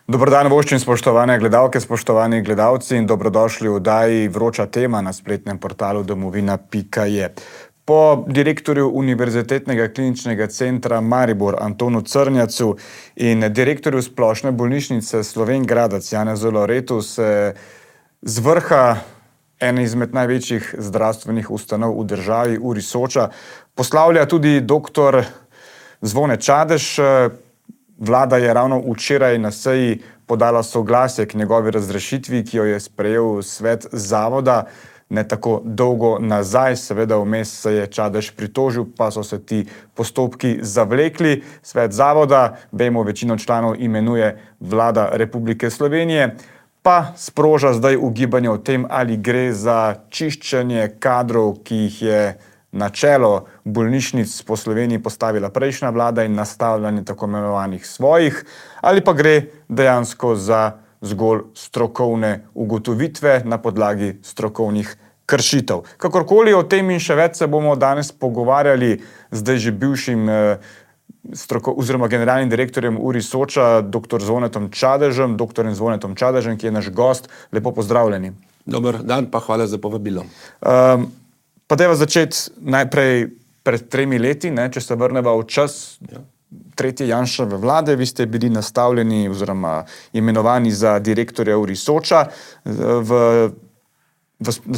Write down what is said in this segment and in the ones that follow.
Dober dan, voščim, spoštovane gledalke, spoštovani gledalci in dobrodošli v oddaji Vroča tema na spletnem portalu domovina.je. Po direktorju Univerzitetnega kliničnega centra Maribor Antonu Crnjacu in direktorju Splošne bolnišnice Slovenj Gradec Janezu Loretu se z vrha ene izmed največjih zdravstvenih ustanov v državi URI Soča poslavlja tudi dr. Zvone Čadež. Vlada je ravno včeraj na seji podala soglasje k njegovi razrešitvi, ki jo je sprejel svet zavoda. Ne tako dolgo nazaj, seveda vmes se je Čadež pritožil, pa so se ti postopki zavlekli. Svet zavoda, vemo, večino članov imenuje Vlada Republike Slovenije, pa sproža zdaj ugibanje o tem, ali gre za čiščenje kadrov, ki jih je na čelo bolnišnic po Sloveniji postavila prejšnja vlada in nastavljanje tako imenovanih svojih, ali pa gre dejansko za zgolj strokovne ugotovitve na podlagi strokovnih kršitev. Kakorkoli o tem in še več se bomo danes pogovarjali zdaj že bivšim oziroma generalnim direktorjem URI Soča, dr. Zvonetom Čadežem, ki je naš gost. Lepo pozdravljeni. Dober dan, pa hvala za povabilo. Pa dajva začeti najprej pred 3 leti, če se vrneva v čas tretje Janševe vlade. Vi ste bili nastavljeni oziroma imenovani za direktorja URI Soča. Na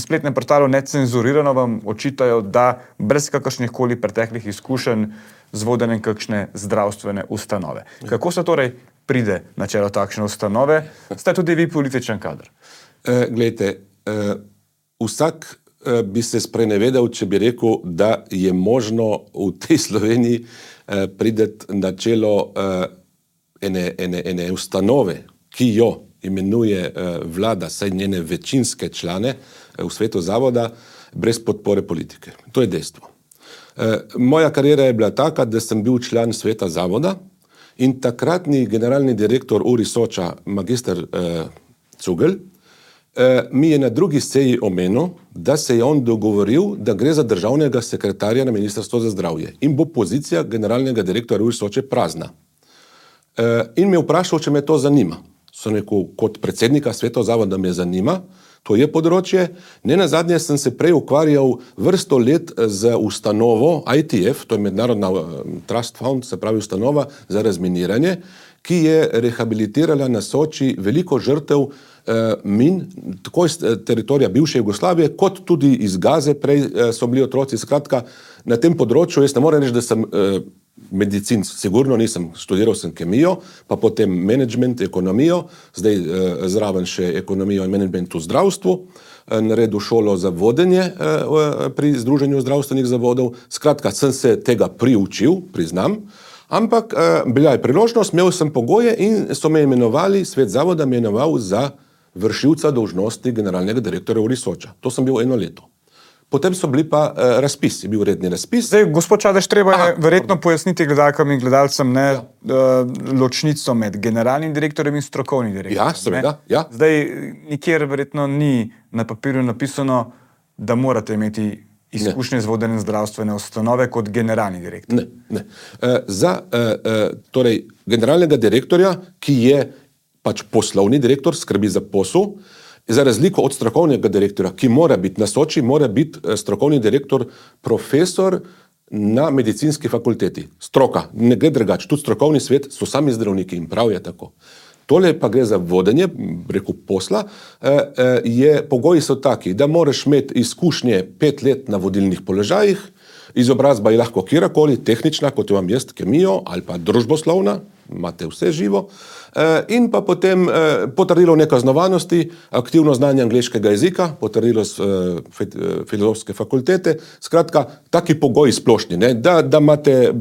spletnem portalu Necenzurirano vam očitajo, da brez kakršnih koli preteklih izkušenj z vodenjem kakšne zdravstvene ustanove. Kako se torej pride na čelo takšne ustanove? Ste tudi vi političen kader? Glejte, vsak bi se sprenevedal, če bi rekel, da je možno v tej Sloveniji priti na čelo ene ustanove, ki jo imenuje vlada, saj njene večinske člane v svetu zavoda, brez podpore politike. To je dejstvo. Moja kariera je bila taka, da sem bil član sveta zavoda in takratni generalni direktor URI Soča, magister Cugel, mi je na drugi seji omenil, da se je on dogovoril, da gre za državnega sekretarja na Ministrstvo za zdravje in bo pozicija generalnega direktorja URI Soče prazna. In me vprašal, če me to zanima. Sem rekel, kot predsednika sveta zavoda me zanima, to je področje. Nenazadnje sem se prej ukvarjal vrsto let z ustanovo ITF, to je Mednarodna Trust Fund, se pravi ustanova za razminiranje, ki je rehabilitirala na Soči veliko žrtev min, tako iz teritorija bivše Jugoslavije, kot tudi iz Gaze, prej so bili otroci. Skratka, na tem področju, jaz ne morem reči, da sem medicin, sigurno nisem, študiral sem kemijo, pa potem management, ekonomijo, zdaj zraven še ekonomijo in management v zdravstvu, naredil šolo za vodenje pri Združenju zdravstvenih zavodov. Skratka, sem se tega priučil, priznam, ampak bila je priložnost, imel sem pogoje in so me imenovali, svet zavoda me imenoval za vršilca dolžnosti generalnega direktorja URI Soča. To sem bil 1 leto. Potem so bili pa razpis, je bil redni razpis. Zdaj, gospod Čadež, treba je verjetno pojasniti gledalkam in gledalcem ločnico med generalnim direktorjem in strokovnim direktorjem. Ja, seveda, ja. Zdaj, nikjer verjetno ni na papirju napisano, da morate imeti izkušnje z vodenjem zdravstvene ustanove kot generalni direktor. Ne. Za torej generalnega direktorja, ki je pač poslovni direktor, skrbi za posel, za razliko od strokovnega direktorja, ki mora biti na Soči, mora biti strokovni direktor profesor na medicinski fakulteti. Stroka, ne gre drugače, tudi strokovni svet so sami zdravniki in prav je tako. Tole pa gre za vodenje, rekel posla, pogoji so taki, da moraš imeti izkušnje 5 let na vodilnih položajih, izobrazba je lahko kjerkoli, tehnična, kot imam jaz, kemijo ali pa družboslovna, imate vse živo, in pa potem potrdilo nekaznovanosti, aktivno znanje angleškega jezika, potrdilo filozofske fakultete, skratka, taki pogoji splošni, da imate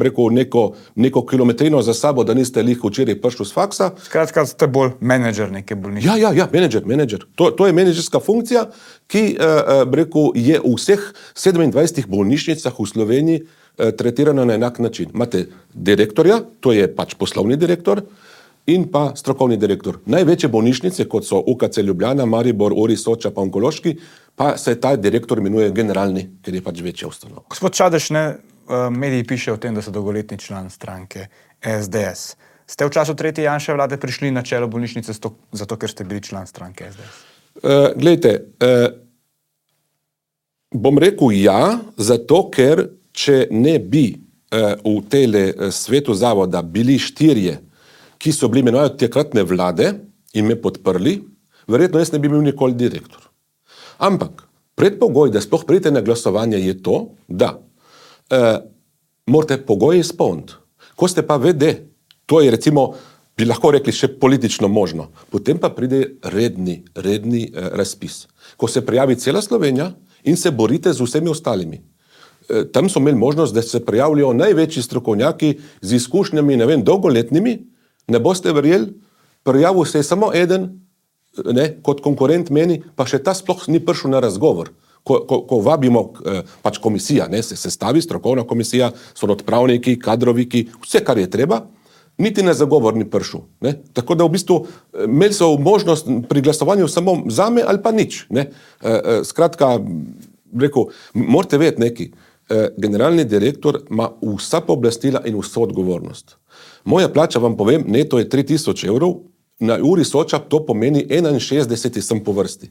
neko kilometrino za sabo, da niste lih včeraj prišli z faksa. Skratka, ste bolj menedžer neke bolnišnice. Ja, menedžer. To je menedžerska funkcija, ki je v vseh 27 bolnišnicah v Sloveniji tretirana na enak način. Imate direktorja, to je pač poslovni direktor, in pa strokovni direktor. Največje bolnišnice, kot so UKC Ljubljana, Maribor, URI Soča pa onkološki, pa se ta direktor imenuje generalni, ker je pač večja ustanova. Gospod Čadež, mediji pišejo o tem, da so dolgoletni član stranke SDS. Ste v času tretje Janševe vlade prišli na čelo bolnišnice zato, ker ste bili član stranke SDS? Glejte, bom rekel ja, zato ker če ne bi v tele svetu zavoda bili 4, ki so bili imenovani takratne vlade in me podprli, verjetno jaz ne bi bil nikoli direktor. Ampak predpogoj, da sploh pridete na glasovanje, je to, da morate pogoje izpolniti. Ko ste pa VD, to je recimo, bi lahko rekli, še politično možno, potem pa pride redni razpis. Ko se prijavi cela Slovenija in se borite z vsemi ostalimi. Tam so imeli možnost, da se prijavljajo največji strokovnjaki z izkušnjami, ne vem, dolgoletnimi, ne boste verjeli, prijavil se je samo eden, kot konkurent meni, pa še ta sploh ni prišel na razgovor. Ko vabimo, pač komisija, se sestavi, strokovna komisija, so odpravniki, kadroviki, vse, kar je treba, niti na zagovor ni prišel. Tako da v bistvu imeli so možnost pri glasovanju samo zame ali pa nič. Skratka, rekel, morate vedeti nekaj, generalni direktor ima vsa pooblastila in vso odgovornost. Moja plača, vam povem, neto je 3000 evrov, na uri Soča to pomeni 61 sem po vrsti.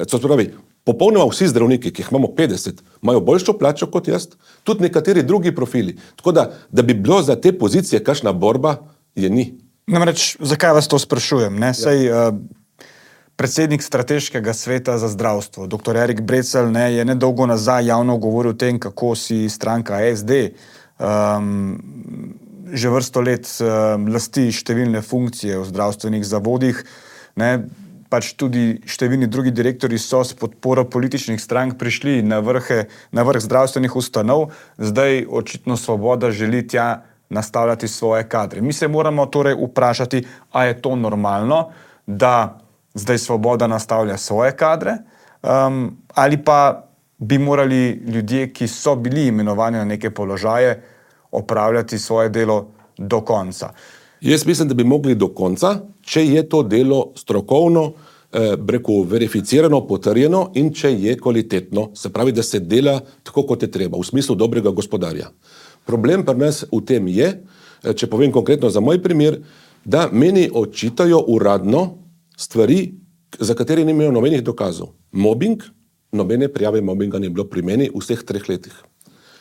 To pravi, popolnoma vsi zdravniki, ki jih imamo 50, imajo boljšo plačo kot jaz, tudi nekateri drugi profili. Tako da bi bilo za te pozicije kakšna borba, je ni. Namreč, zakaj vas to sprašujem? Saj predsednik strateškega sveta za zdravstvo, dr. Erik Brecelj, je nedolgo nazaj javno govoril o tem, kako si stranka SD že vrsto let lasti številne funkcije v zdravstvenih zavodih, pač tudi številni drugi direktori so s podporo političnih strank prišli na vrh zdravstvenih ustanov, zdaj očitno Svoboda želi tja nastavljati svoje kadre. Mi se moramo torej vprašati, a je to normalno, da zdaj Svoboda nastavlja svoje kadre, ali pa bi morali ljudje, ki so bili imenovani na neke položaje, opravljati svoje delo do konca. Jaz mislim, da bi mogli do konca, če je to delo strokovno, verificirano, potrjeno in če je kvalitetno, se pravi, da se dela tako, kot je treba, v smislu dobrega gospodarja. Problem pri nas v tem je, če povem konkretno za moj primer, da meni očitajo uradno stvari, za katere ni imel nobenih dokazov. Mobbing, nobene prijave mobbinga ni bilo pri meni v vseh 3 letih.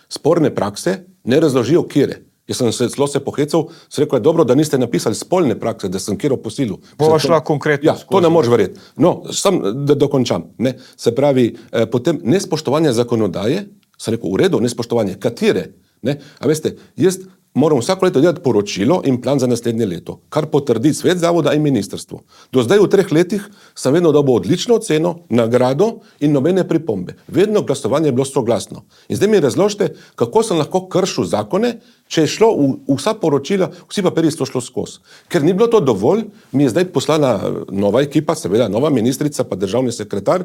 Sporne prakse ne razložijo kjere. Jaz sem se pohecal, sem rekel, je dobro, da niste napisali spolne prakse, da sem kjero posilil. Bova šla konkretno. Ja, to ne moreš verjeti. No, sam da dokončam. Se pravi, potem nespoštovanje zakonodaje, sem rekel, v redu, nespoštovanje katere. A veste, jaz moram vsako leto delati poročilo in plan za naslednje leto, kar potrdi svet zavoda in ministrstvo. Do zdaj v 3 letih sem vedno dobil odlično oceno, nagrado in nobene pripombe. Vedno glasovanje je bilo soglasno. In zdaj mi razložite, kako sem lahko kršil zakone, če je šlo vsa poročila, vsi papirji so šlo skozi. Ker ni bilo to dovolj, mi je zdaj poslana nova ekipa, seveda nova ministrica pa državni sekretar,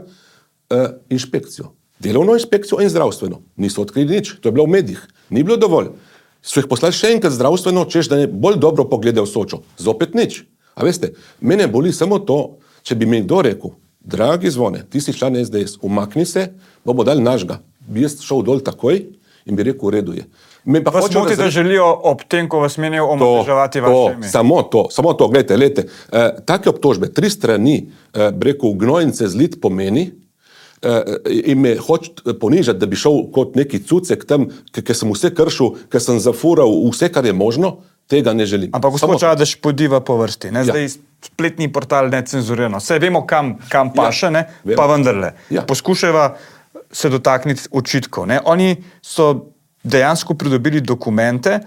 inšpekcijo. Delovno inšpekcijo in zdravstveno. Niso odkrili nič, to je bilo v medijih. Ni bilo dovolj. So jih poslali še enkrat zdravstveno, češ da ne bolj dobro pogledajo Sočo. Zopet nič. A veste, mene boli samo to, če bi mi kdo rekel, dragi Zvone, ti si član SDS, umakni se, bomo dali našega. Bi jaz šel dol takoj in bi rekel, v redu je. Vas moti, da želijo ob tem, ko vas menijo, omadeževati vaše ime? Samo to, gledajte, take obtožbe, 3 strani, rekel, gnojnice zlit pomeni, in me hoče ponižati, da bi šel kot neki cucek tam, ker sem vse kršil, ker sem zafural vse, kar je možno, tega ne želim. Ampak gospod Čadež podiva po vrsti. Zdaj spletni portal Necenzurirano. Vse vemo, kam paše, pa vendarle. Poskušajva se dotakniti očitkov. Oni so dejansko pridobili dokumente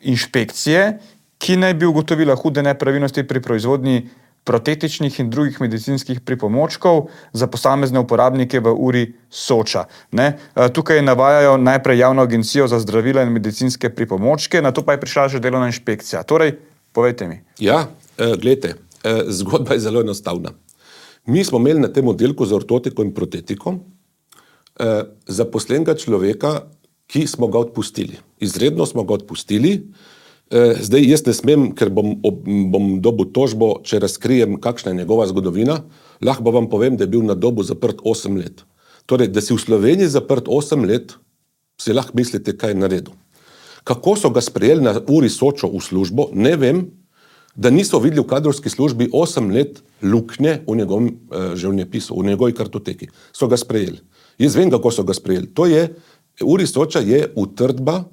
inšpekcije, ki naj bi ugotovila hude nepravilnosti pri proizvodnji protetičnih in drugih medicinskih pripomočkov za posamezne uporabnike v uri Soča. Tukaj navajajo najprej Javno agencijo za zdravila in medicinske pripomočke, nato pa je prišla že delovna inšpekcija. Torej, povejte mi. Ja, gledajte, zgodba je zelo enostavna. Mi smo imeli na tem oddelku za ortotiko in protetiko zaposlenega človeka, ki smo ga odpustili. Izredno smo ga odpustili. Zdaj jaz ne smem, ker bom dobil tožbo, če razkrijem, kakšna je njegova zgodovina, lahko vam povem, da je bil na dobu zaprt 8 let. Torej, da si v Sloveniji zaprt 8 let, si lahko mislite, kaj je naredil. Kako so ga sprejeli na Uri Sočo v službo, ne vem, da niso videli v kadrovski službi 8 let luknje v njegovem življenjepisu, v njegovi kartoteki. So ga sprejeli. Jaz vem, kako so ga sprejeli. Uri Soča je utrdba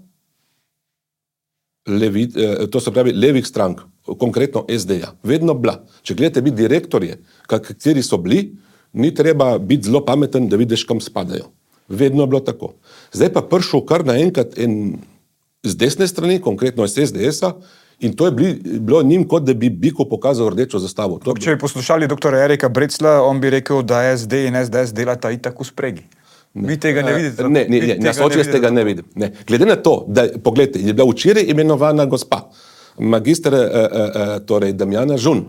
to se pravi levih strank, konkretno SD-ja. Vedno bila. Če gledate biti direktorje, kateri so bili, ni treba biti zelo pameten, da vidiš, kam spadajo. Vedno je bilo tako. Zdaj pa prišel kar naenkrat z desne strani, konkretno iz SDS-a, in to je bilo njim, kot da bi Biko pokazal rdečo zastavo. Če bi poslušali dr. Erika Brecla, on bi rekel, da SD in SDS delata itak v spregi. Vi tega ne vidite? Ne, na Soči jaz tega ne vidim. Ne. Glede na to, da, pogledajte, je bila včeraj imenovana gospa, magister torej Damjana Žun,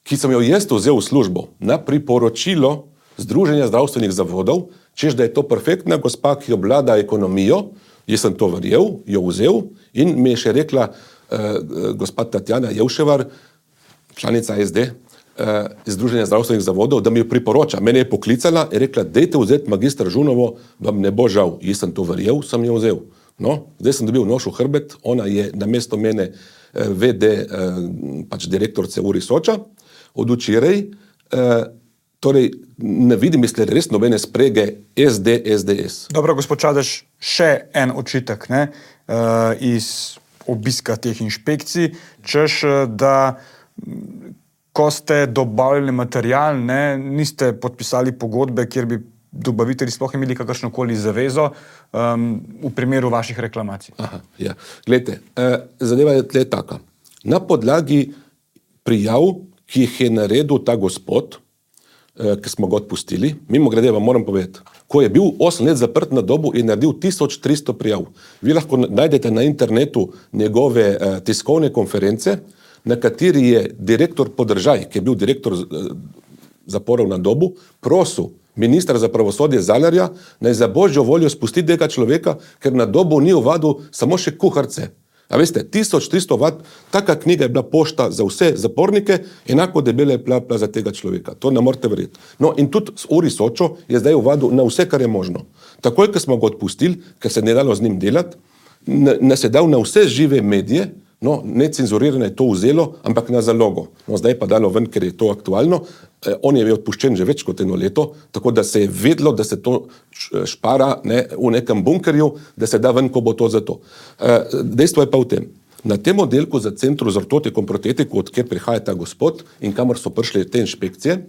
ki sem jo jaz vzel v službo na priporočilo Združenja zdravstvenih zavodov, češ da je to perfektna gospa, ki obvlada ekonomijo, jaz sem to verjel, jo vzel in mi je še rekla gospa Tatjana Jevševar, članica SD, Združenja zdravstvenih zavodov, da mi jo priporoča. Mene je poklicala in rekla, dejte vzeti magister Žunovo, vam ne bo žal. Jaz sem to verjel, sem jo vzel. No, zdaj sem dobil nož v hrbet, ona je namesto mene VD, pač direktorce Uri Soča, od včeraj, torej ne vidim, misli res nobene sprege SD-SDS. Dobro, gospod Čadež, še en očitek, ne, iz obiska teh inšpekcij, češ, da ko ste dobavljali material, ne, niste podpisali pogodbe, kjer bi dobavitelji sploh imeli kakršnokoli zavezo v primeru vaših reklamacij. Aha, ja. Glejte, zadeva je tle taka. Na podlagi prijav, ki jih je naredil ta gospod, ki smo ga odpustili, mimo grede vam moram povedati, ko je bil 8 let zaprt na dobu in naredil 1300 prijav. Vi lahko najdete na internetu njegove tiskovne konference, na kateri je direktor Podržaj, ki je bil direktor zaporov na dobu, prosil ministra za pravosodje Zalarja, naj za božjo voljo spusti tega človeka, ker na dobu ni ovadil samo še kuharce. A veste, 1300 vat, taka knjiga je bila pošta za vse zapornike, enako debela je bila za tega človeka. To ne morete verjeti. No in tudi Uri Sočo je zdaj ovadil na vse, kar je možno. Takoj, ko smo ga odpustili, ker se ne dalo z njim delati, nas je dal na vse žive medije. No, necenzurirano je to vzelo, ampak na zalogo. No, zdaj pa dalo ven, ker je to aktualno. On je bil odpuščen že več kot 1 leto, tako da se je vedlo, da se to špara v nekem bunkerju, da se da ven, ko bo to za to. Dejstvo je pa v tem. Na tem oddelku za Centru za ortotiko in protetiko, od kjer prihaja ta gospod in kamor so prišle te inšpekcije,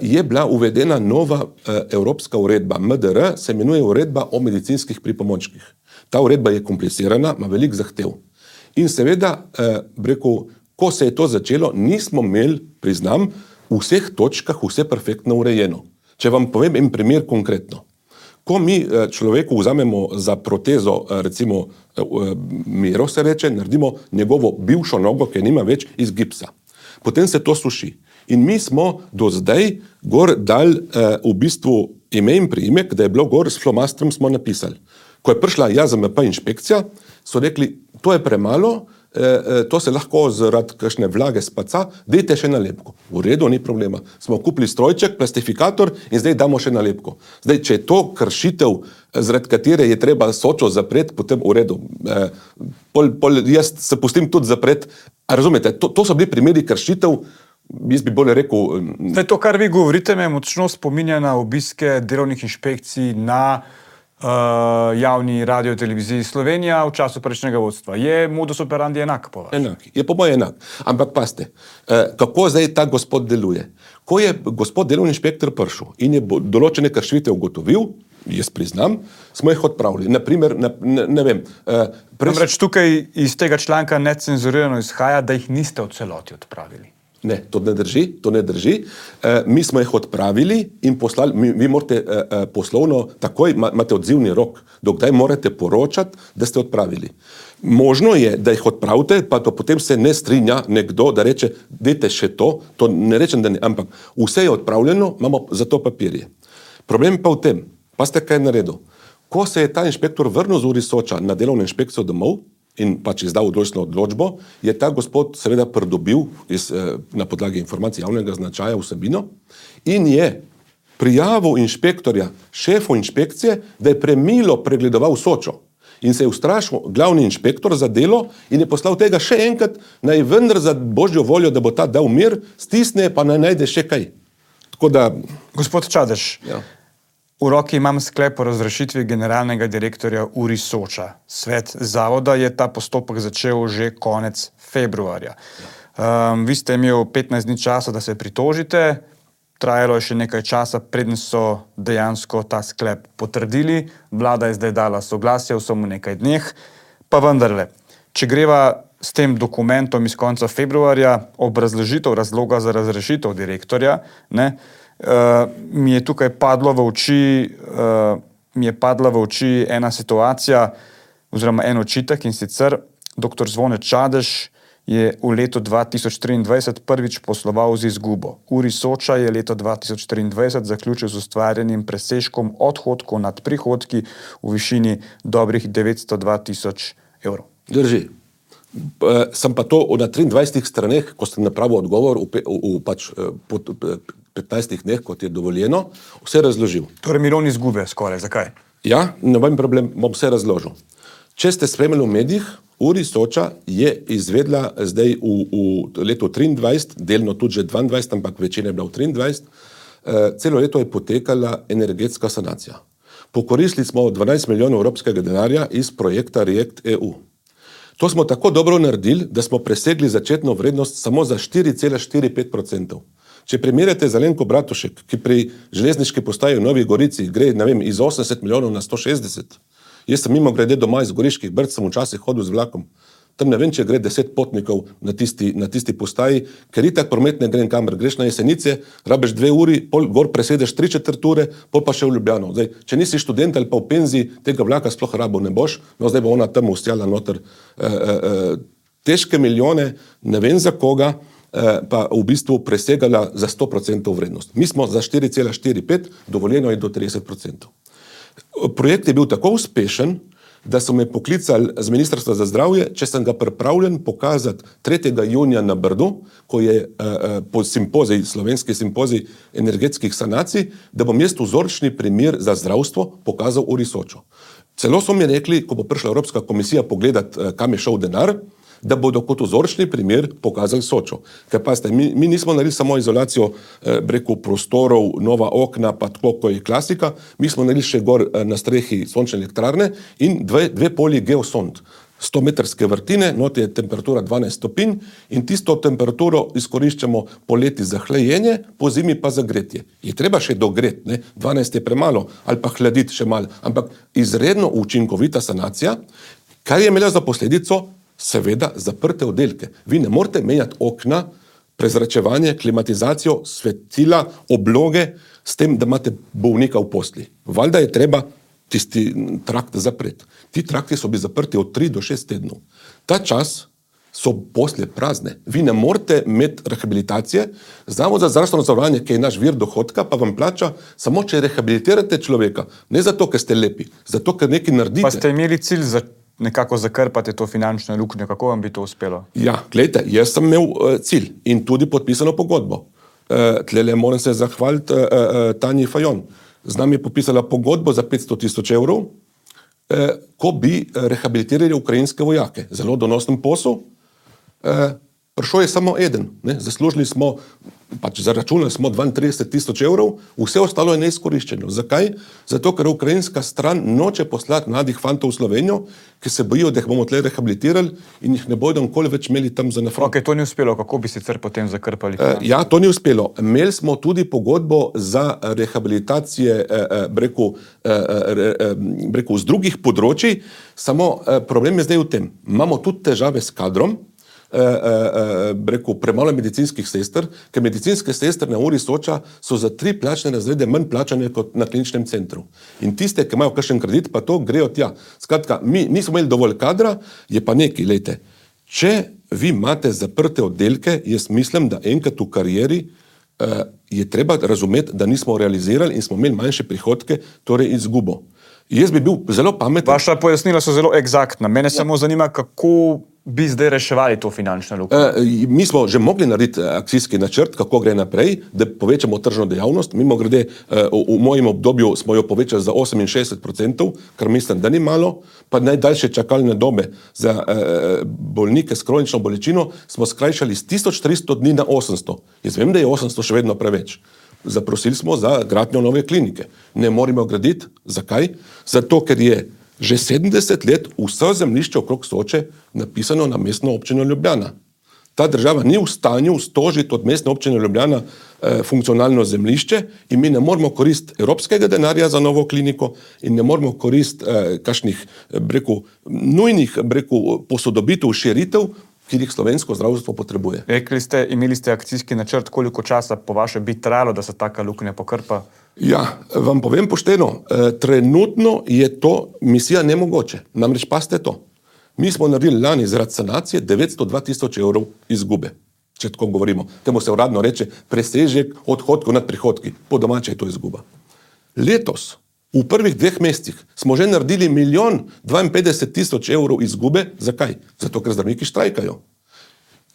je bila uvedena nova evropska uredba. MDR se imenuje uredba o medicinskih pripomočkih. Ta uredba je komplicirana, ima veliko zahtev. In seveda, rekel, ko se je to začelo, nismo imeli, priznam, v vseh točkah vse perfektno urejeno. Če vam povem en primer konkretno. Ko mi človeku vzamemo za protezo, recimo Miro se reče, naredimo njegovo bivšo nogo, ki nima več, iz gipsa. Potem se to suši. In mi smo do zdaj gor dali v bistvu ime in priimek, da je bilo gor s flomastrom smo napisali. Ko je prišla JAZMP inšpekcija, so rekli, to je premalo, to se lahko zaradi kakšne vlage spaca, dajte še nalepko. V redu, ni problema. Smo kupili strojček, plastifikator in zdaj damo še nalepko. Zdaj, če je to kršitev, zaradi katere je treba Sočo zapreti, potem v redu. Jaz se pustim tudi zapreti. A razumete, to so bili primeri kršitev, jaz bi bolje rekel... Zdaj, to, kar vi govorite, me močno spominja na obiske delovnih inšpekcij na javni radio televiziji Slovenija v času prejšnjega vodstva. Je modus operandi enak po vas? Enak, je po moje enak. Ampak paste, kako zdaj ta gospod deluje? Ko je gospod delovni inšpektor prišel in je določene kršitve ugotovil, jaz priznam, smo jih odpravili. Naprimer, ne vem... Namreč tukaj iz tega članka necenzurirano izhaja, da jih niste v celoti odpravili. Ne, to ne drži. Mi smo jih odpravili in poslali, vi morate poslovno, takoj imate odzivni rok, dokdaj morate poročati, da ste odpravili. Možno je, da jih odpravite, pa to potem se ne strinja nekdo, da reče, dajte še to ne rečem, da ne, ampak vse je odpravljeno, imamo za to papirje. Problem pa v tem, pa ste kaj naredil. Ko se je ta inšpektor vrnil z Uri Soča na delovno inšpekcijo domov, in pač izdal odločbo, je ta gospod seveda pridobil na podlagi informacij javnega značaja vsebino in je prijavil inšpektorja, šefu inšpekcije, da je premilo pregledoval Sočo. in se je ustrašil glavni inšpektor za delo in je poslal tega še enkrat, naj vendar za božjo voljo, da bo ta dal mir, stisne pa naj najde še kaj. Tako da... Gospod Čadež, v roki imam sklep o razrešitvi generalnega direktorja URI Soča. Svet zavoda je ta postopek začel že konec februarja. Vi ste imeli 15 dni časa, da se pritožite, trajalo je še nekaj časa, preden so dejansko ta sklep potrdili, vlada je zdaj dala soglasje v samo nekaj dneh, pa vendarle, če greva s tem dokumentom iz konca februarja, obrazložitev razloga za razrešitev direktorja, mi je tukaj padla v oči ena situacija oziroma en očitek, in sicer dr. Zvone Čadež je v letu 2023 prvič posloval z izgubo. URI Soča je leto 2023 zaključil z ustvarjenim presežkom odhodkov nad prihodki v višini dobrih 902 000 evrov. Drži. Sem pa to na 23 straneh, ko sem napravil odgovor po 15 dneh, kot je dovoljeno, vse razložil. Torej milijon izgube skoraj, zakaj? Ja, noben problem, bom vse razložil. Če ste spremljali v medijih, URI Soča je izvedla zdaj v letu 23, delno tudi že 22, ampak večina je bila v 23, celo leto je potekala energetska sanacija. Pokoristili smo 12 milijonov evropskega denarja iz projekta React EU. To smo tako dobro naredili, da smo presegli začetno vrednost samo za 4,45%. Če primerjate z Alenko Bratušek, ki pri železniški postaji v Novi Gorici gre, iz 80 milijonov na 160, jaz sem mimo grede doma iz Goriških Brd, sem včasih hodil z vlakom. Tam ne vem, če gre 10 potnikov na tisti postaji, ker itak promet ne gre kamor. Greš na Jesenice, rabiš 2 uri, pol gor presedeš 3/4 ure, pol pa še v Ljubljano. Zdaj, če nisi študent ali pa v penziji, tega vlaka sploh rabo ne boš, no zdaj bo ona tam ustjala noter težke milijone, ne vem za koga, pa v bistvu presegala za 100% vrednost. Mi smo za 4,45, dovoljeno je do 30%. Projekt je bil tako uspešen, da so me poklicali z Ministrstva za zdravje, če sem ga pripravljen pokazati 3. junija na Brdu, ko je po simpoziji, slovenski simpozij energetskih sanacij, da bom jaz vzorčni primer za zdravstvo pokazal URI Sočo. Celo so mi rekli, ko bo prišla Evropska komisija pogledati, kam je šel denar, da bodo kot vzorčni primer pokazali Sočo. Ker pa mi nismo naredili samo izolacijo prostorov, nova okna, pa tako, ko je klasika, mi smo naredili še gor na strehi sončne elektrarne in dve polji geosond. 100-metrske vrtine, noti je temperatura 12 stopinj in tisto temperaturo izkoriščamo poleti za hlajenje, po zimi pa za gretje. Je treba še dogreti, 12 je premalo, ali pa hladiti še malo, ampak izredno učinkovita sanacija, kar je imela za posledico seveda zaprte oddelke. Vi ne morete menjati okna, prezračevanje, klimatizacijo, svetila, obloge, s tem, da imate bolnika v posli. Valjda je treba tisti trakt zapreti. Ti trakti so bili zaprti od 3 do 6 tednov. Ta čas so posle prazne. Vi ne morete imeti rehabilitacije, Zavod za zdravstveno zavarovanje, ki je naš vir dohodka, pa vam plača samo, če rehabilitirate človeka. Ne zato, ker ste lepi, zato, ker nekaj naredite. Pa ste imeli cilj za nekako zakrpati to finančno luknjo, kako vam bi to uspelo? Ja, gledajte, jaz sem imel cilj in tudi podpisano pogodbo. Tlele moram se zahvaliti Tanji Fajon. Z nami je podpisala pogodbo za 500 000 evrov, ko bi rehabilitirali ukrajinske vojake. Zelo donosen posel. Prišel je samo eden. Zaslužili smo, zaračunali smo 32 000 evrov, vse ostalo je neizkoriščeno. Zakaj? Zato, ker ukrajinska stran noče poslati mladih fantov v Slovenijo, ki se bojijo, da jih bomo tle rehabilitirali in jih ne bodo nikoli več imeli tam za na front. Ok, to ni uspelo, kako bi sicer potem zakrpali? Ja, to ni uspelo. Imeli smo tudi pogodbo za rehabilitacije, z drugih področij, samo problem je zdaj v tem. Imamo tudi težave s kadrom, premalo medicinskih sester, ker medicinske sestre na URI Soča so za 3 plačne razrede manj plačane kot na kliničnem centru. In tiste, ki imajo kakšen kredit, pa to grejo tja. Skratka, mi nismo imeli dovolj kadra, je pa nekaj, lejte. Če vi imate zaprte oddelke, jaz mislim, da enkrat v karieri je treba razumeti, da nismo realizirali in smo imeli manjše prihodke, torej izgubo. Jaz bi bil zelo pameten. Vaša pojasnila so zelo egzaktna. Mene samo zanima, kako bi zdaj reševali to finančno luknjo? Mi smo že mogli narediti akcijski načrt, kako gre naprej, da povečamo tržno dejavnost. Mimogrede, v mojem obdobju smo jo povečali za 68%, kar mislim, da ni malo, pa najdaljše čakalne dobe za bolnike s kronično bolečino smo skrajšali z 1300 dni na 800. Jaz vem, da je 800 še vedno preveč. Zaprosili smo za gradnjo nove klinike. Ne moremo graditi. Zakaj? Zato, ker je že 70 let vse zemljišče okrog Soče napisano na mestno občino Ljubljana. Ta država ni v stanju stožiti od mestne občine Ljubljana funkcionalno zemljišče in mi ne moremo koristiti evropskega denarja za novo kliniko in ne moremo koristiti kakšnih, nujnih, posodobitev, širitev, ki jih slovensko zdravstvo potrebuje. Rekli ste, imeli ste akcijski načrt, koliko časa po vaše bi trajalo, da se taka luknja pokrpa? Ja, vam povem pošteno, trenutno je to misija nemogoče. Namreč pazite to. Mi smo naredili lani zaradi sanacije 902 tisoč evrov izgube. Če tako govorimo. Temu se uradno reče presežek odhodkov nad prihodki. Po domače je to izguba. Letos, v prvih 2 mesecih, smo že naredili 1 52 000 evrov izgube. Zakaj? Zato, ker zdravniki štrajkajo.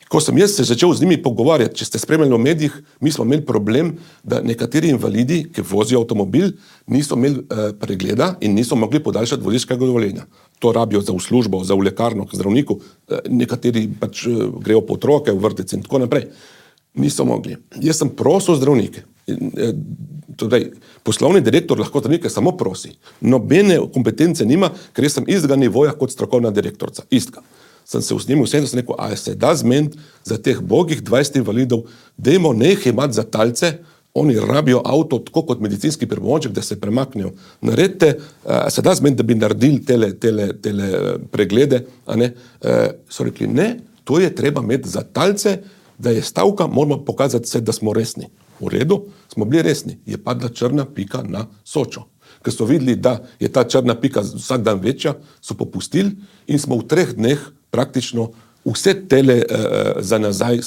Ko sem jaz se začel z njimi pogovarjati, če ste spremljali v medijih, mi smo imeli problem, da nekateri invalidi, ki vozijo avtomobil, niso imeli pregleda in niso mogli podaljšati vozniškega dovoljenja. To rabijo za v službo, za v lekarno, k zdravniku, nekateri pač grejo po otroke v vrtec in tako naprej. Niso mogli. Jaz sem prosil zdravnike. Torej, poslovni direktor lahko zdravnike samo prosi. Nobene kompetence nima, ker jaz sem istega nivoja kot strokovna direktorca. Istega. Sem se v njim vsem rekel, a se da zmeniti za teh bogih 20 invalidov, dajmo ne jih imati za talce, oni rabijo avto tako kot medicinski pripomoček, da se premaknejo. Naredite, se da zmeniti, da bi naredili tele preglede, a ne? So rekli, ne, to je treba imeti za talce, da je stavka, moramo pokazati se, da smo resni. V redu, smo bili resni. Je padla črna pika na Sočo. Ker so videli, da je ta črna pika vsak dan večja, so popustili in smo v 3 dneh praktično vse tele za nazaj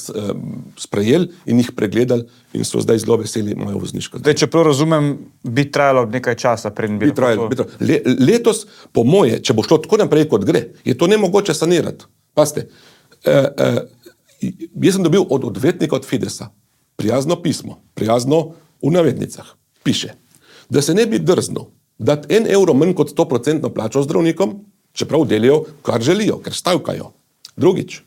sprejeli in jih pregledali in so zdaj zelo veseli mojo vozniško. Zdaj, če prav razumem, bi trajalo nekaj časa, preden bi trajalo. Letos, po moje, če bo šlo tako naprej, kot gre, je to nemogoče sanirati. Pazite, jaz sem dobil od odvetnika od Fidesa prijazno pismo, prijazno v navednicah, piše, da se ne bi drznil dati 1 evro manj kot 100% plačo zdravnikom, čeprav delijo, kar želijo, ker stavkajo. Drugič,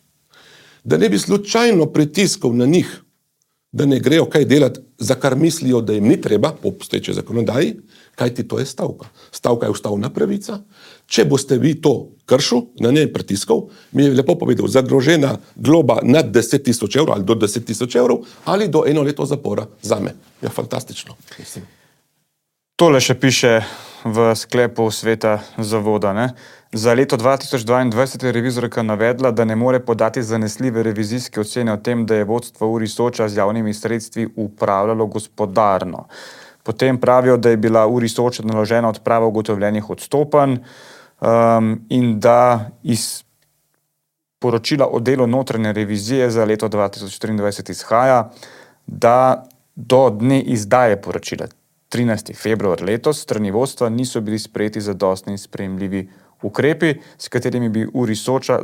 da ne bi slučajno pritiskal na njih, da ne grejo kaj delati, za kar mislijo, da jim ni treba, po obstoječi zakonodaji, kajti to je stavka. Stavka je ustavna pravica. Če boste vi to kršil, na njej pritiskal, mi je lepo povedal, zagrožena globa nad 10 000 evrov ali do 10 000 evrov ali do 1 leto zapora zame. Ja, fantastično. Mislim. Tole še piše v sklepu sveta zavoda, ne? Za leto 2022 je revizorka navedla, da ne more podati zanesljive revizijske ocene o tem, da je vodstvo URI Soča z javnimi sredstvi upravljalo gospodarno. Potem pravijo, da je bila URI Soča naložena odprava ugotovljenih odstopanj in da iz poročila o delu notranje revizije za leto 2023 izhaja, da do dne izdaje poročila 13. februar letos strani vodstva niso bili sprejeti zadostni in sprejemljivi ukrepi, s katerimi bi URI Soča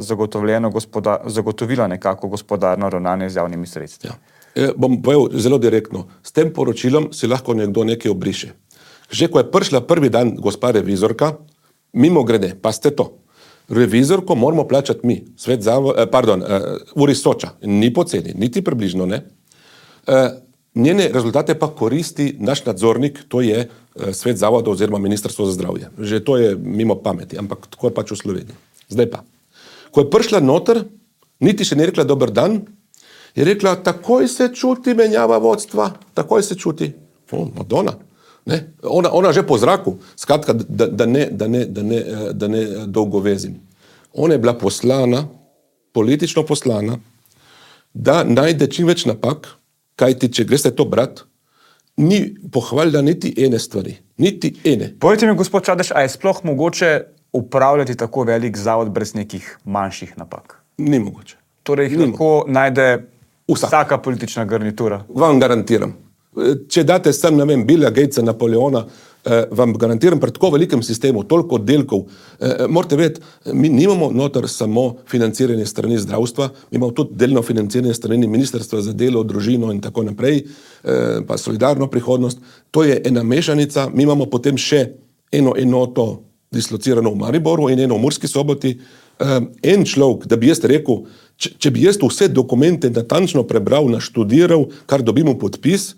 zagotovila nekako gospodarno ravnanje z javnimi sredstvi. Ja. Bom povedal zelo direktno. S tem poročilom si lahko nekdo nekaj obriše. Že ko je prišla prvi dan gospa revizorka, mimo grede, pa ste to. Revizorko moramo plačati mi, URI Soča. Ni poceni, niti približno ne. Njene rezultate pa koristi naš nadzornik, to je svet zavoda oziroma Ministrstvo za zdravje. Že to je mimo pameti, ampak tako je pač v Sloveniji. Zdaj pa. Ko je prišla noter, niti še ne rekla dober dan, je rekla, takoj se čuti menjava vodstva, takoj se čuti. Madonna. Ne? Ona že po zraku, skratka, da ne dolgo vezim. Ona je bila poslana, politično poslana, da najde čim več napak, kajti, če greste to brat, ni pohvalila niti ene stvari. Niti ene. Povejte mi, gospod Čadež, a je sploh mogoče upravljati tako velik zavod brez nekih manjših napak? Ni mogoče. Torej jih lahko najde vsaka politična garnitura? Vam garantiram. če date sem, ne vem, Billa Gatesa, Napoleona, vam garantiram, pri tako velikem sistemu, toliko oddelkov, morate vedeti, mi nimamo noter samo financiranje strani zdravstva, mi imamo tudi delno financiranje strani Ministrstva za delo, družino in tako naprej, pa solidarno prihodnost. To je ena mešanica, mi imamo potem še eno enoto dislocirano v Mariboru in eno v Murski Soboti. En človek, da bi jaz rekel, če bi jaz vse dokumente natančno prebral, naštudiral, kar dobimo podpis,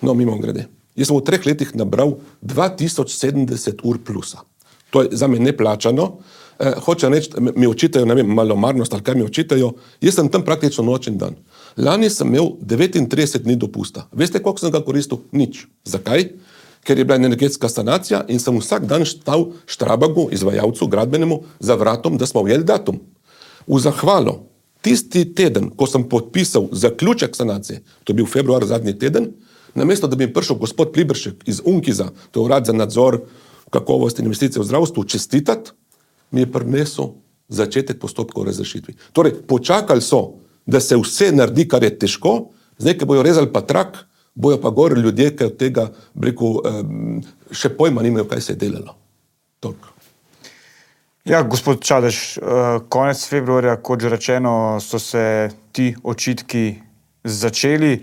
mimogrede. Jaz sem v 3 letih nabral 2070 ur plusa. To je za me neplačano. Hoče reči, mi očitajo, ne vem, malomarnost ali kaj mi očitajo, jaz sem tam praktično noč in dan. Lani sem imel 39 dni dopusta. Veste, koliko sem ga koristil? Nič. Zakaj? Ker je bila energetska sanacija in sem vsak dan stal Štrabagu, izvajalcu, gradbenemu, za vratom, da smo ujeli datum. V zahvalo, tisti teden, ko sem podpisal zaključek sanacije, to je bil februar zadnji teden, namesto da bi prišel gospod Pliberšek iz Unkiza, to je urad za nadzor kakovosti in investicije v zdravstvu, čestitati, mi je prinesel začetek postopkov o razrešitvi. Torej, počakali so, da se vse naredi, kar je težko, zdaj, ko bojo rezali pa trak, bojo pa gor ljudje, ki od tega, še pojma nimajo, kaj se je delalo. Toliko. Ja, gospod Čadež, konec februarja, kot že rečeno, so se ti očitki začeli.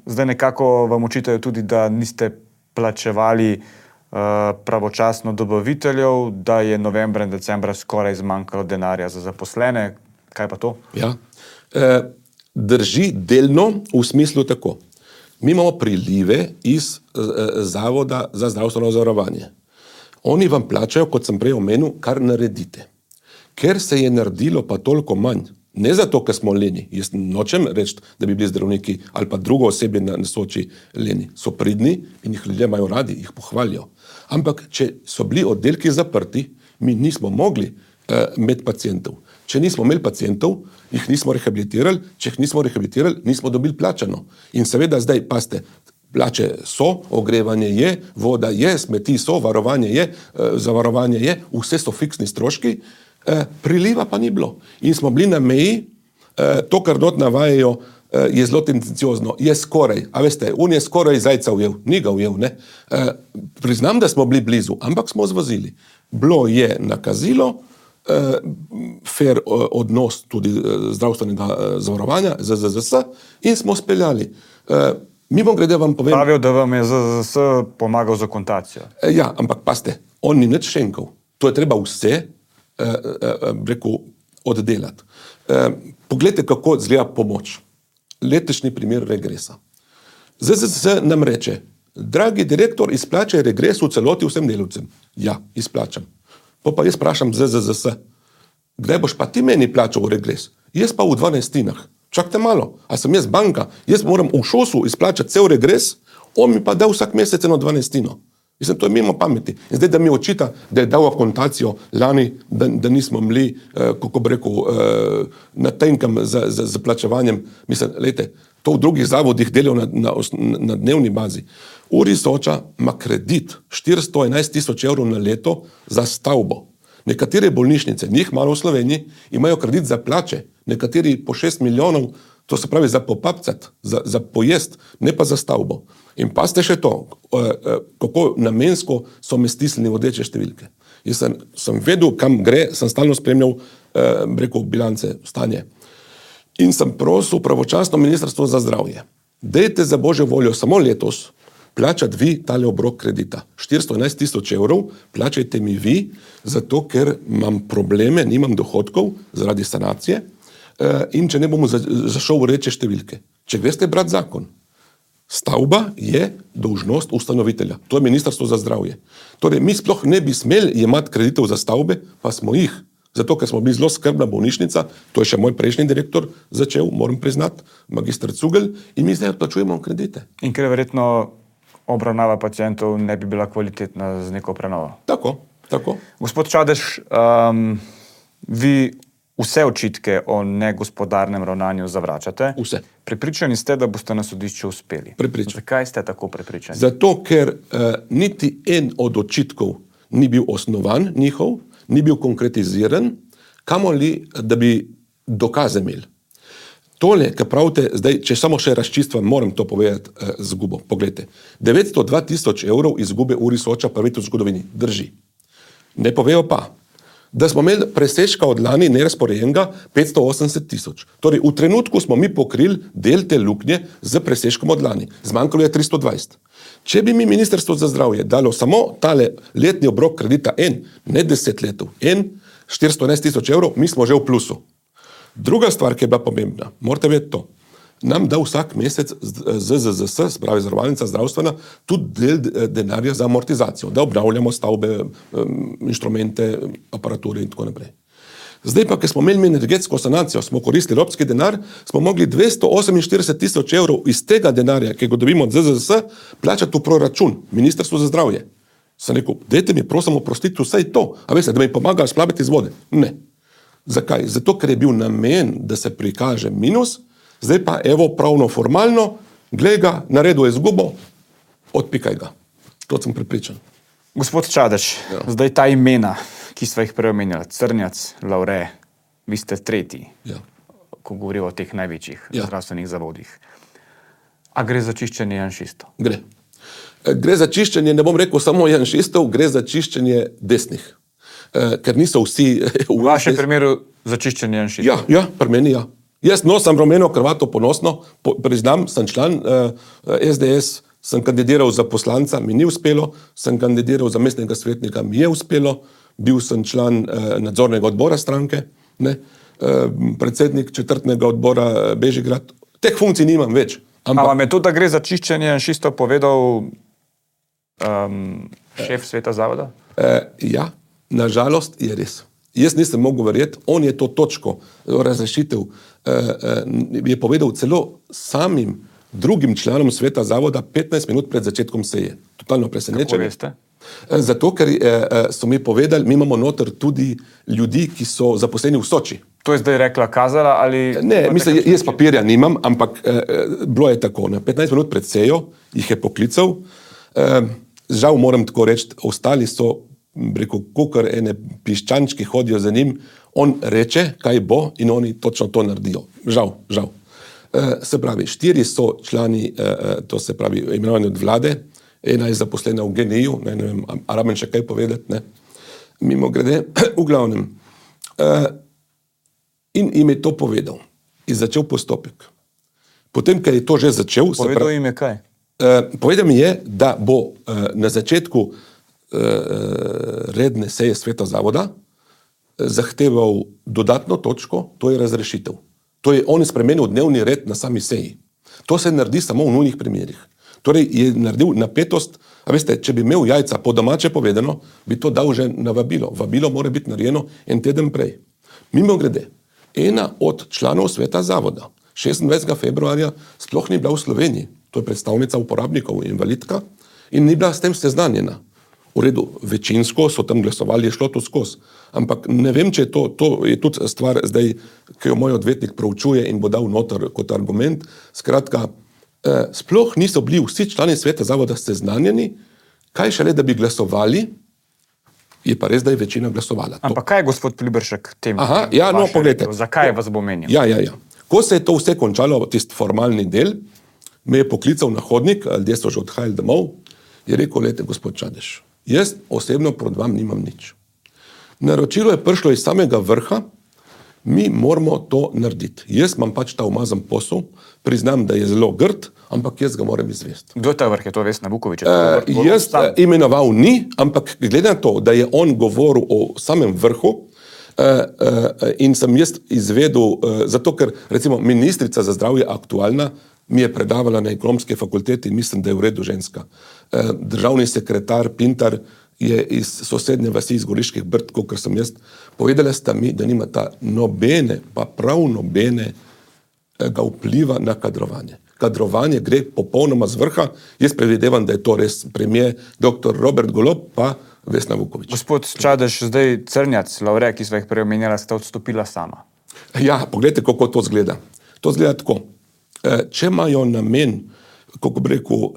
Zdaj nekako vam očitajo tudi, da niste plačevali pravočasno dobaviteljev, da je novembra in decembra skoraj zmanjkalo denarja za zaposlene. Kaj pa to? Ja, drži delno v smislu tako. Mi imamo prilive iz Zavoda za zdravstveno zavarovanje. Oni vam plačajo, kot sem prej omenil, kar naredite. Ker se je naredilo pa toliko manj, ne zato, ker smo leni, jaz nočem reči, da bi bili zdravniki ali pa drugo osebje na Soči leni, so pridni in jih ljudje imajo radi, jih pohvalijo. Ampak, če so bili oddelki zaprti, mi nismo mogli imeti pacientov. Če nismo imeli pacientov, jih nismo rehabilitirali, če jih nismo rehabilitirali, nismo dobili plačano. In seveda zdaj, paste, plače so, ogrevanje je, voda je, smeti so, varovanje je, zavarovanje je, vse so fiksni stroški, priliva pa ni bilo. In smo bili na meji, to, kar not navajajo, je zelo tendenciozno, je skoraj, a veste, on je skoraj zajca ujel, ni ga ujel, ne. Priznam, da smo bili blizu, ampak smo zvozili. Bilo je nakazilo, fair odnos tudi zdravstvenega zavarovanja, ZZZS, in smo speljali. Mimogrede vam povem... Pravijo, da vam je ZZZS pomagal z akontacijo. Ja, ampak paste, on ni nič šenkal. To je treba vse, oddelati. Poglejte, kako izgleda pomoč. Letošnji primer regresa. ZZZS nam reče, dragi direktor, izplačaj regres v celoti vsem delavcem. Ja, izplačam. Pa jaz vprašam ZZZS, kdaj boš pa ti meni plačal regres? Jaz pa v 12. Čakajte malo, a sem jaz banka, jaz moram v ŠOS-u izplačati cel regres, on mi pa da vsak mesec 1/12. Mislim, to je mimo pameti. In zdaj, da mi očita, da je dal akontacijo lani, da nismo bili, kako bi rekel, na tenkem za plačevanjem. Mislim, lejte, to v drugih zavodih delajo na dnevni bazi. Uri Soča ima kredit 411.000 evrov na leto za stavbo. Nekatere bolnišnice, njih malo v Sloveniji, imajo kredit za plače, nekateri po 6 milijonov, to se pravi za popapcat, za pojest, ne pa za stavbo. In pa ste še to, kako namensko so me stisnili v rdeče številke. Jaz sem vedel, kam gre, sem stalno spremljal, rekel, bilance, stanje. In sem prosil pravočasno Ministrstvo za zdravje. Dajte za Božjo voljo samo letos plačati vi tale obrok kredita. 411.000 evrov plačajte mi vi, zato ker imam probleme, nimam dohodkov zaradi sanacije in če ne bomo zašel v reče številke. Če greste brati zakon, stavba je dolžnost ustanovitelja. To je Ministrstvo za zdravje. Torej, mi sploh ne bi smeli jemati kreditov za stavbe, pa smo jih. Zato, ker smo bili zelo skrbna bolnišnica, to je še moj prejšnji direktor začel, moram priznati, magister Cugel, in mi zdaj odplačujemo kredite. In ker verjetno obravnava pacientov ne bi bila kvalitetna z neko prenovo. Tako. Gospod Čadež, vi vse očitke o negospodarnem ravnanju zavračate. Vse. Prepričani ste, da boste na sodišču uspeli. Prepričan. Zakaj ste tako prepričani? Zato, ker niti en od očitkov ni bil osnovan njihov, ni bil konkretiziran, kamoli, da bi dokaze imeli. Tole, kar pravite, zdaj, če samo še razčistvam, moram to povedati zgubo. Poglejte, 902 tisoč evrov izgube uri Soča prvič v zgodovini. Drži. Ne povejo pa, da smo imeli presežka od lani nerazporejenega 580 tisoč. Torej, v trenutku smo mi pokrili del te luknje z presežkom od lani. Zmanjkalo je 320. Če bi mi Ministrstvo za zdravje dalo samo tale letni obrok kredita ne 10 letov, 411 tisoč evrov, mi smo že v plusu. Druga stvar, ki je bila pomembna, morate vedeti to, nam da vsak mesec ZZZS, spravi zavarovalnica zdravstvena, tudi del denarja za amortizacijo, da obnavljamo stavbe, inštrumente, aparature in tako naprej. Zdaj pa, ker smo imeli energetsko sanacijo, smo koristili evropski denar, smo mogli 248 tisoč evrov iz tega denarja, ki ga dobimo od ZZZS, plačati v proračun, Ministrstvo za zdravje. Sem rekel, dajte mi prosim oprostiti vsaj to, a veste, da mi pomaga splaviti iz vode. Ne. Zakaj? Zato, ker je bil namen, da se prikaže minus, zdaj pa evo pravno formalno, glej ga, naredil je izgubo, odpikaj ga. To sem prepričan. Gospod Čadež, zdaj ta imena, ki sva jih prej omenjali, Crnjac, Lavre, vi ste tretji, ko govorijo o teh največjih zdravstvenih zavodih. A gre za čiščenje janšistov? Gre. Gre za čiščenje, ne bom rekel samo janšistov, gre za čiščenje desnih. Ker niso vsi... V vašem primeru za čiščenje janšistov? Ja, pri meni ja. Jaz nosim rumeno kravato ponosno, priznam, sem član SDS, sem kandidiral za poslanca, mi ni uspelo, sem kandidiral za mestnega svetnika, mi je uspelo, bil sem član nadzornega odbora stranke, predsednik četrtnega odbora Bežigrad. Teh funkcij nimam več. A vam je to, da gre za čiščenje janšistov, povedal šef sveta zavoda? Ja, nažalost je res. Jaz nisem mogel verjeti, on je to točko razrešitev, je povedal celo samim drugim članom sveta zavoda 15 minut pred začetkom seje. Totalno presenečenje. Kako veste? Zato, ker so mi povedali, mi imamo noter tudi ljudi, ki so zaposleni v Soči. To je zdaj rekla Kazala ali... Ne, mislim, jaz papirja nimam, ampak bilo je tako. 15 minut pred sejo jih je poklical. Žal moram tako reči, ostali so, rekel, kakor ene piščančki hodijo za njim, on reče, kaj bo in oni točno to naredijo. Žal. Se pravi, 4 so člani, to se pravi, imenovani od vlade, ena je zaposlena v GNI-ju, ne vem, a rabim še kaj povedati, ne. Mimo grede, v glavnem. In jim je to povedal. In začel postopek. Potem, ker je to že začel... Povedal jim je kaj? Povedal mi je, da bo na začetku redne seje sveta zavoda zahteval dodatno točko, to je razrešitev. To je on spremenil dnevni red na sami seji. To se naredi samo v nujnih primerih. Torej je naredil napetost, a veste, če bi imel jajca po domače povedano, bi to dal že na vabilo. Vabilo mora biti narejeno en teden prej. Mimo grede, ena od članov sveta zavoda 26. februarja sploh ni bila v Sloveniji. To je predstavnica uporabnikov, invalidka, in ni bila s tem seznanjena. V redu, večinsko so tam glasovali, je šlo to skozi. Ampak ne vem, če je to je tudi stvar zdaj, ki jo moj odvetnik proučuje in bo dal noter kot argument. Skratka, sploh niso bili vsi člani sveta zavoda seznanjeni, kaj šele, da bi glasovali, je pa res, da je večina glasovala. Ampak kaj je gospod Pliberšek tem? Poglejte. Zakaj vas bo menil? Ja. Ko se je to vse končalo, tisti formalni del, me je poklical na hodnik, ljudje so že odhajali domov, je rekel, lejte, gospod Čadež, jaz osebno proti vam nimam nič. Naročilo je prišlo iz samega vrha, mi moramo to narediti. Jaz imam pač ta umazan posel, priznam, da je zelo grd, ampak jaz ga moram izvesti. Kdo je ta vrh? Je to Vesna Vuković? Jaz imenoval ni, ampak glede na to, da je on govoril o samem vrhu, in sem jaz izvedel, zato ker recimo ministrica za zdravje aktualna mi je predavala na ekonomski fakulteti in mislim, da je v redu ženska. Državni sekretar Pintar je iz sosednje vasi iz Goriških Brd, kot sem jaz, povedala sta mi, da nimata nobene, pa prav nobene ga vpliva na kadrovanje. Kadrovanje gre popolnoma z vrha. Jaz predvidevam, da je to res premier dr. Robert Golob pa Vesna Vuković. Gospod Čadež, zdaj Crnjac, Lavre, ki sva jih prej omenjala, sta odstopila sama. Ja, pogledajte, kako to zgleda. To zgleda tako. Če imajo namen, kako bi rekel,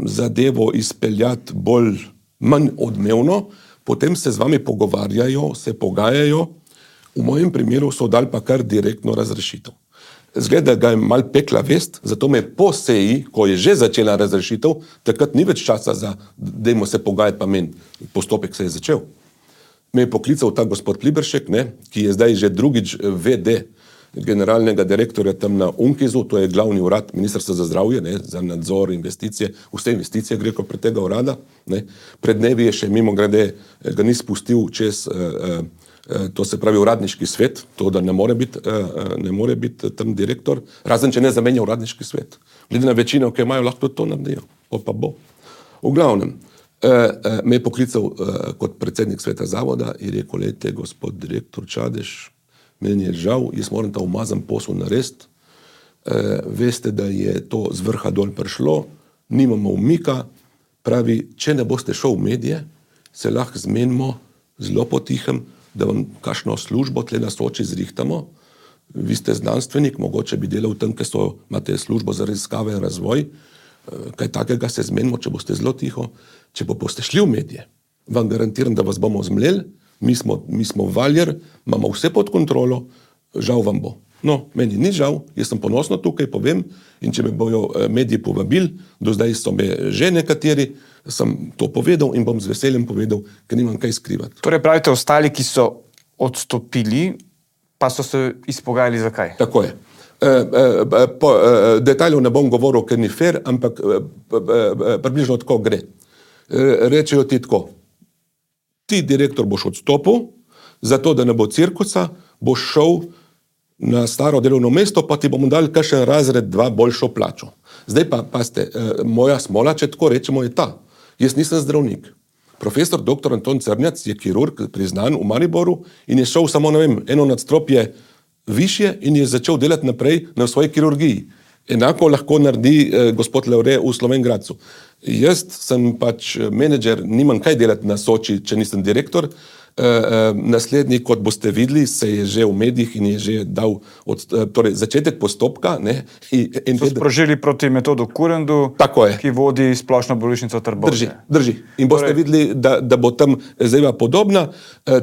zadevo izpeljati manj odmevno, potem se z vami pogovarjajo, se pogajajo, v mojem primeru so dali pa kar direktno razrešitev. zgleda, ga je mal pekla vest, zato me po seji, ko je že začela razrešitev, takrat ni več časa za, dajmo se pogajati, pa meni, postopek se je začel. Me je poklical ta gospod Pliberšek, ne, ki je zdaj že drugič VD generalnega direktorja tam na UNKIZ-u, to je glavni urad Ministrstva za zdravje, ne, za nadzor investicije, vse investicije gre pred tega urada. Ne. Pred dnevi je še mimo grede, ga ni spustil čez, to se pravi uradniški svet, to da ne more biti tam direktor, razen če ne zamenja uradniški svet. Glede na večino, ki imajo, lahko to naredijo, pa bo. V glavnem, me je poklical kot predsednik sveta zavoda in rekel, lejte, gospod direktor Čadež, meni je žal, jaz moram ta umazan posel narediti. Veste, da je to z vrha dol prišlo, nimamo umika, pravi, če ne boste šel v medije, se lahko zmenimo zelo potihem, da vam kakšno službo tle na Soči zrihtamo. Vi ste znanstvenik, mogoče bi delal tam, ker imate službo za raziskave in razvoj. Kaj takega se zmenimo, če boste zelo tiho. Če boste šli v medije, vam garantiram, da vas bomo zmleli. Mi smo valjer, imamo vse pod kontrolo, žal vam bo. No, meni ni žal, jaz sem ponosno tukaj, povem, in če me bojo mediji povabili, do zdaj so me že nekateri, sem to povedal in bom z veseljem povedal, ker nimam kaj skrivati. Torej pravite, ostali, ki so odstopili, pa so se izpogajali zakaj? Tako je. Detajlov ne bom govoril, ker ni fair, ampak približno tako gre. Rečejo ti tako, ti direktor boš odstopil, zato da ne bo cirkusa, boš šel na staro delovno mesto, pa ti bomo dali kakšen razred 2 boljšo plačo. Zdaj pa, pazite, moja smola, če tako rečemo, je ta. Jaz nisem zdravnik. Profesor dr. Anton Crnjac je kirurg, priznan v Mariboru in je šel samo, eno nadstropje višje in je začel delati naprej na svoji kirurgiji. Enako lahko naredi gospod Leore v Slovenj Gradcu. Jaz sem pač menedžer, nimam kaj delati na Soči, če nisem direktor. Naslednji, kot boste videli, se je že v medijih in je že dal torej začetek postopka. Ne, so sprožili proti Metodu Kurendu, ki vodi splošno bolnišnico Trbovlje. Drži. In boste videli, da bo tam zadeva podobna.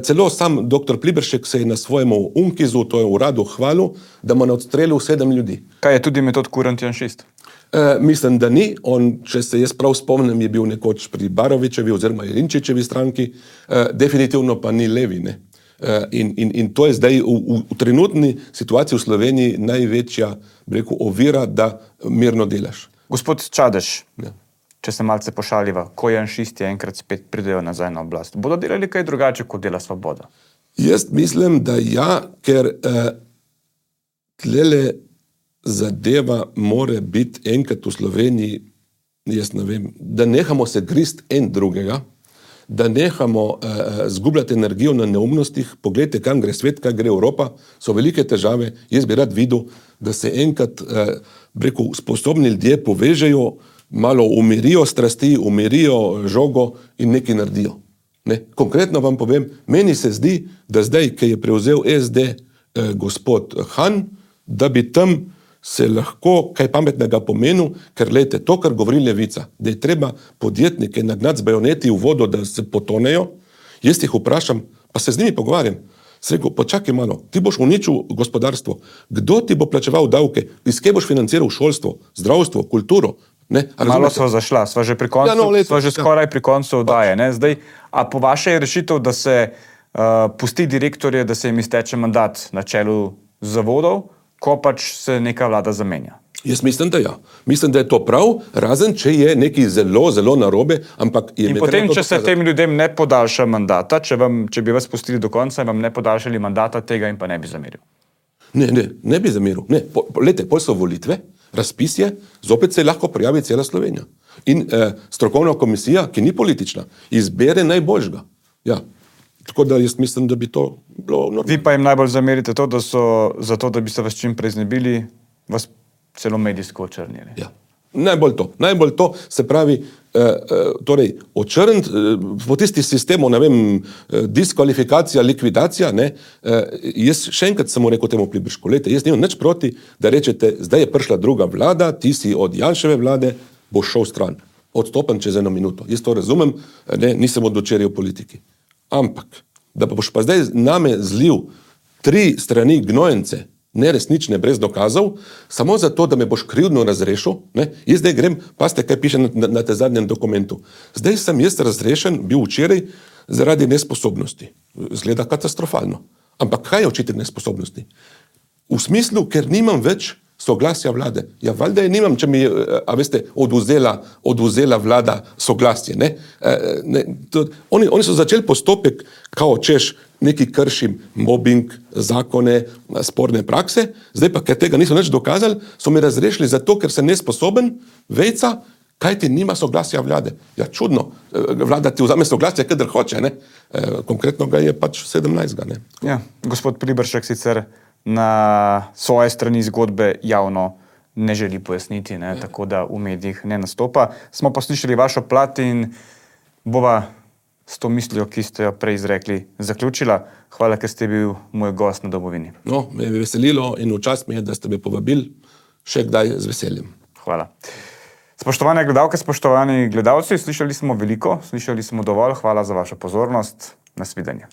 Celo sam dr. Pliberšek se je na svojemu UNKIZ-u, to je uradu, hvalil, da mu je odstrelil 7 ljudi. Kaj je tudi Metod Kurent janšist? Mislim, da ni. On, če se jaz prav spomnim, je bil nekoč pri Barovičevi oziroma Jelinčičevi stranki, definitivno pa ni levi. Ne? In to je zdaj v trenutni situaciji v Sloveniji največja, rekel, ovira, da mirno delaš. Gospod Čadež, če se malce pošaliva, ko janšisti enkrat spet pridejo nazaj na oblast, bodo delali kaj drugače, kot dela Svoboda? Jaz mislim, da ja, ker tlele zadeva more biti enkrat v Sloveniji, jaz ne vem, da nehamo se grist en drugega, da nehamo zgubljati energijo na neumnostih. Poglejte, kam gre svet, kaj gre Evropa, so velike težave. Jaz bi rad videl, da se enkrat rekel, sposobni ljudje povežejo, malo umirijo strasti, umirijo žogo in nekaj naredijo. Ne? Konkretno vam povem, meni se zdi, da zdaj, ki je prevzel SD gospod Han, da bi tam se lahko kaj pametnega pomenil, ker lejte, to, kar govori Levica, da je treba podjetnike nagnati z bajoneti v vodo, da se potonejo, jaz jih vprašam, pa se z njimi pogovarjam. Se rekel, počakaj malo, ti boš uničil gospodarstvo, kdo ti bo plačeval davke, iz kje boš financiral šolstvo, zdravstvo, kulturo? Ne, malo sva zašla, sva že pri koncu, sva že skoraj pri koncu oddaje. Ne? Zdaj, a po vaše je rešitev, da se pusti direktorje, da se jim izteče mandat na čelu zavodov, ko pač se neka vlada zamenja? Jaz mislim, da ja. Mislim, da je to prav, razen če je nekaj zelo, zelo narobe, ampak je... In potem, če se tem ljudem ne podaljša mandata, če bi vas pustili do konca in vam ne podaljšali mandata, tega in pa ne bi zameril. Ne bi zameril. Lejte, pol so volitve, razpis je, zopet se lahko prijavi cela Slovenija. In strokovna komisija, ki ni politična, izbere najboljšega. Ja. Tako da jaz mislim, da bi to bilo normalno. Vi pa jim najbolj zamerite to, da so zato, da bi se vas čim prej znebili, vas celo medijsko očrnili. Ja, najbolj to, se pravi, torej, očrniti po tisti sistemu, ne vem, diskvalifikacija, likvidacija, ne, jaz še enkrat samo rekel temu Pliberšku, lejte, jaz nimam nič proti, da rečete, zdaj je prišla druga vlada, ti si od Janševe vlade, boš šel stran, odstopen čez 1 minuto. Jaz to razumem, ne, nisem od včeraj v politiki. Ampak, da boš pa zdaj name zlil 3 strani gnojence, neresnične, brez dokazov, samo zato, da me boš krivdno razrešil. Ne? Jaz zdaj grem, pazite, kaj piše na te zadnjem dokumentu. Zdaj sem jaz razrešen, bil včeraj, zaradi nesposobnosti. Zgleda katastrofalno. Ampak kaj je očitek nesposobnosti? V smislu, ker nimam več soglasja vlade. Ja, valjda je nimam, če mi je, odvzela vlada soglasje. Ne? Oni so začeli postopek, kao češ, neki kršim, mobbing, zakone, sporne prakse, zdaj pa, ker tega niso nič dokazali, so mi razrešili zato, ker sem nesposoben, vejca, kaj ti nima soglasja vlade. Ja, čudno, vlada ti vzame soglasje, kadar hoče, ne? Konkretno ga je pač 17. Ne? Ja, gospod Pribršek sicer na svoje strani zgodbe javno ne želi pojasniti, ne? Tako da v medijih ne nastopa. Smo pa slišali vašo plat in bova s to mislijo, ki ste jo prej izrekli, zaključila. Hvala, ker ste bil moj gost na Domovini. No, me je veselilo in v čast mi je, da ste me povabili še kdaj z veseljem. Hvala. Spoštovane gledalke, spoštovani gledalci, slišali smo veliko, slišali smo dovolj. Hvala za vašo pozornost. Nasvidenje.